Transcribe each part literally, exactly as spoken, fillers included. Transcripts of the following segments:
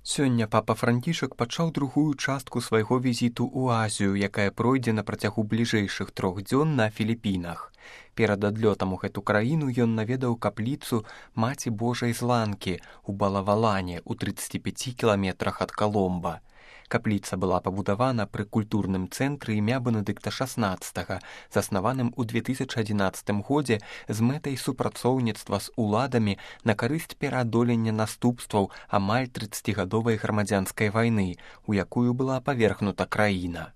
Сёння папа Францішак пачаў другую частку свайго візіту ў Азію, якая пройдзе на працягу бліжэйшых трох дзён на Філіпінах. Перад адлётам у гэту краіну ён наведаў капліцу Маці Божай з Ланкі ў Балавалане ў трыццаці пяці кіламетрах ад Каломба. Капліца была пабудавана пры культурным цэнтры імя Бенедыкта шаснаццатага, заснаваным у две тысячы адзінаццатым годзе з мэтай супрацоўніцтва з уладамі на карысць пераадолення наступстваў амаль трыццацігадовай грамадзянскай вайны, у якую была павергнута краіна.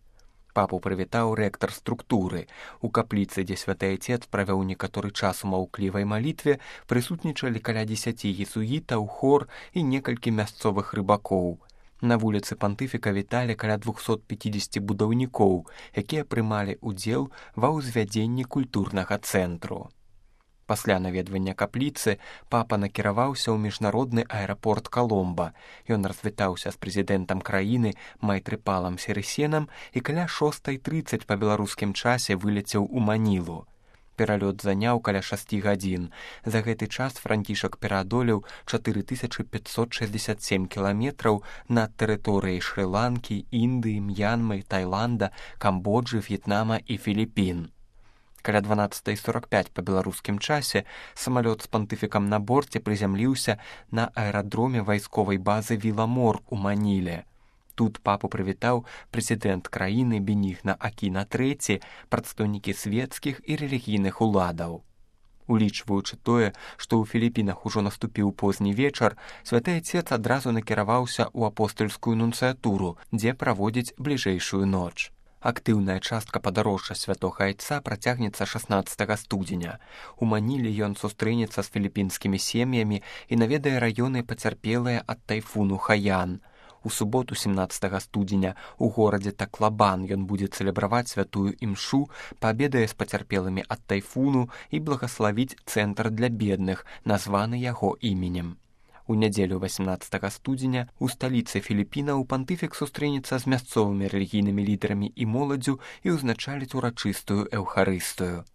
Папу прывітаў рэктар структуры. У капліцы, дзе святы Айцец правёў некаторы час у маўклівай малітве, прысутнічалі каля дзесяці езуітаў, хор і некалькі мясцовых рыбакоў. На вуліцы пантыфіка віталі каля двухсот пяцідзесяці будаўнікоў, якія прымалі ўдзел ва ўзвядзенні культурнага цэнтру. Пасля наведвання капліцы папа накіраваўся ў міжнародны аэрапорт Каломба. Ён развітаўся з прэзідэнтам краіны Майтрыпалам Сірысенам і каля шостай трыццаць па беларускім часе вылецеў у Манілу. Пералёт заняў каля шасці гадзін. За гэты час Францішак пераадолеў чатыры тысячы пяцьсот шэсцьдзесят сем кіламетраў над тэрыторыяй Шры-Ланкі, Індыі, М'янмы, Таіланда, Камбоджы, В'етнама і Філіпін. Каля дванаццатай сорак пяць па беларускім часе самалёт з пантыфікам на борце прызямліўся на аэрадроме вайсковай базы Віламор у Маніле. Тут папу прывітаў прэзідэнт краіны Бенігна Акіна трэці, прадстаўнікі свецкіх і рэлігійных уладаў. Улічваючы тое, што ў Філіпінах ужо наступіў позні вечар, святы Айцец адразу накіраваўся ў апостальскую нунцыятуру, дзе праводзіць бліжэйшую ноч. Актыўная частка падарожжа святога Айца працягнецца шаснаццатага студзеня. У Маніле ён сустрэнецца з філіпінскімі сем'ямі і наведае раёны пацярпелыя ад тайфуну Хаян. У суботу сямнаццатага студзеня у горадзе Таклабан ён будзе цэлебраваць святую імшу, паабедае з пацярпелымі ад тайфуну і благаславіць цэнтр для бедных, названы яго іменем. У нядзелю васямнаццатага студзеня у сталіцы Філіпінаў пантыфік сустрэнецца з мясцовымі рэлігійнымі лідарамі і моладдзю і ўзначаліць урачыстую эўхарыстыю.